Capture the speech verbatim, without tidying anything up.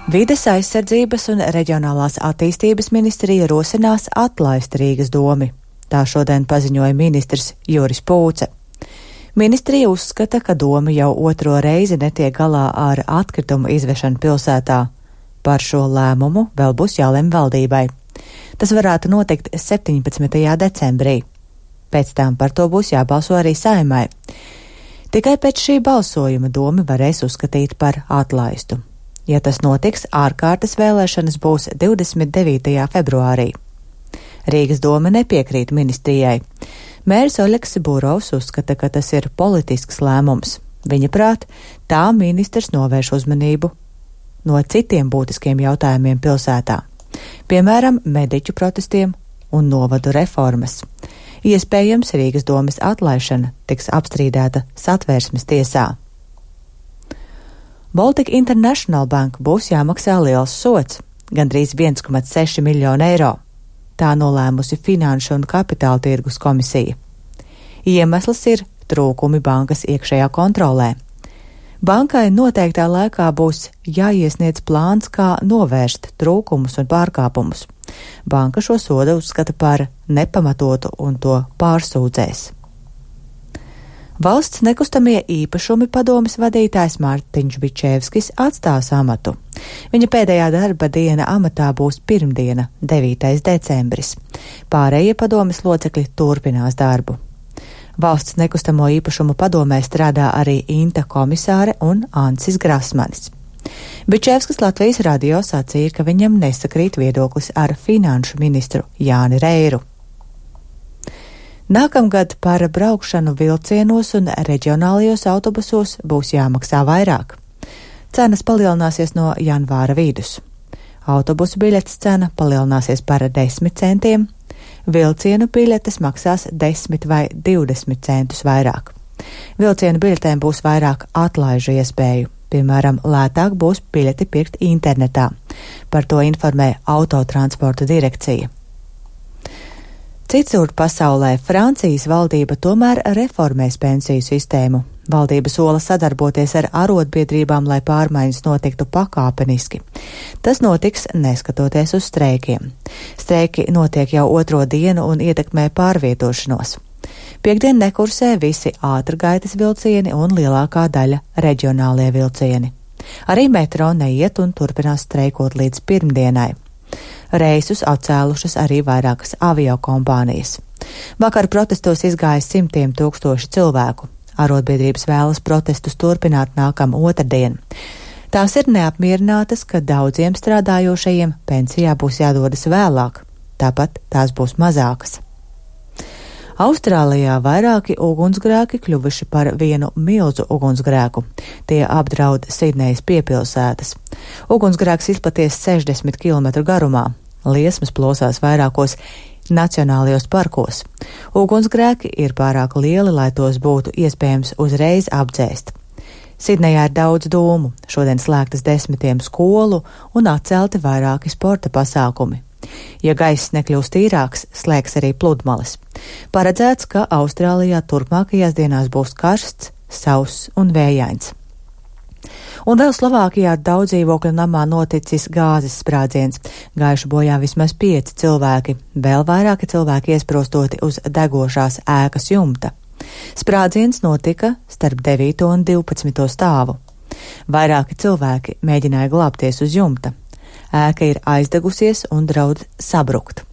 Vides aizsardzības un reģionālās attīstības ministrija rosinās atlaist Rīgas domi. Tā šodien paziņoja ministrs Juris Pūce. Ministrija uzskata, ka doma jau otro reizi netiek galā ar atkritumu izvešanu pilsētā. Par šo lēmumu vēl būs jālem valdībai. Tas varētu notikt septiņpadsmitajā decembrī. Pēc tam par to būs jābalso arī Saeimai. Tikai pēc šī balsojuma domi varēs uzskatīt par atlaistu. Ja tas notiks, ārkārtas vēlēšanas būs divdesmit devītajā februārī. Rīgas doma nepiekrīt ministrijai. Mērs Oļegs Burovs uzskata, ka tas ir politisks lēmums. Viņa prāt, tā ministrs novērš uzmanību no citiem būtiskiem jautājumiem pilsētā, piemēram, mediķu protestiem un novadu reformas. Iespējams, Rīgas domes atlaišana tiks apstrīdēta Satversmes tiesā. Baltic International Bank būs jāmaksā liels sods, gandrīz viens komats seši miljonu eiro. Tā nolēmusi Finanšu un Kapitāla tirgus komisija. Iemesls ir trūkumi bankas iekšējā kontrolē. Bankai noteiktā laikā būs jāiesniedz plāns, kā novērst trūkumus un pārkāpumus. Banka šo sodu uzskata par nepamatotu un to pārsūdzēs. Valsts nekustamie īpašumi padomes vadītājs Mārtiņš Bičevskis atstās amatu. Viņa pēdējā darba diena amatā būs pirmdiena, devītais decembris. Pārējie padomes locekļi turpinās darbu. Valsts nekustamo īpašumu padomē strādā arī Inta komisāre un Ancis Grasmanis. Bičevskis Latvijas radio sacīja, ka viņam nesakrīt viedoklis ar finanšu ministru Jāni Reiru. Nākamgad par braukšanu vilcienos un reģionālajos autobusos būs jāmaksā vairāk. Cenas palielināsies no janvāra vidus. Autobusu biļetes cena palielināsies par desmit centiem, vilcienu biļetes maksās desmit vai divdesmit centus vairāk. Vilcienu biļetēm būs vairāk atlaižu iespēju, piemēram, lētāk būs biļeti pirkt internetā. Par to informē Autotransporta direkcija. Citur pasaulē Francijas valdība tomēr reformēs pensiju sistēmu. Valdība sola sadarboties ar arotbiedrībām, lai pārmaiņas notiktu pakāpeniski. Tas notiks neskatoties uz streikiem. Streiki notiek jau otro dienu un ietekmē pārvietošanos. Piektdien nekursē visi ātrgaitas vilcieni un lielākā daļa reģionālie vilcieni. Arī metro neiet un turpinās streikot līdz pirmdienai. Reisus atcēlušas arī vairākas aviokompānijas. Vakar protestos izgāja simtiem tūkstoši cilvēku. Arotbiedrības vēlas protestus turpināt nākam otrdien. Tās ir neapmierinātas, ka daudziem strādājošajiem pensijā būs jādodas vēlāk, tāpat tās būs mazākas. Austrālijā vairāki ugunsgrēki kļuvuši par vienu milzu ugunsgrēku. Tie apdraud Sidnejas piepilsētas. Ugunsgrēks izplaties sešdesmit kilometru garumā. Liesmas plosās vairākos nacionālajos parkos. Ugunsgrēki ir pārāk lieli, lai tos būtu iespējams uzreiz apdzēst. Sidnejā ir daudz dūmu, šodien slēgtas desmitiem skolu un atcelti vairāki sporta pasākumi. Ja gaiss nekļūst tīrāks, slēgs arī pludmales. Paredzēts, ka Austrālijā turpmākajās dienās būs karsts, sauss un vējains. Un vēl Slovākijā daudz dzīvokļu namā noticis gāzes sprādziens. Gājuši bojā vismaz pieci cilvēki, vēl vairāki cilvēki iesprostoti uz degošās ēkas jumta. Sprādziens notika starp devīto un divpadsmito stāvu. Vairāki cilvēki mēģināja glābties uz jumta. Ēka ir aizdegusies un draud sabrukt.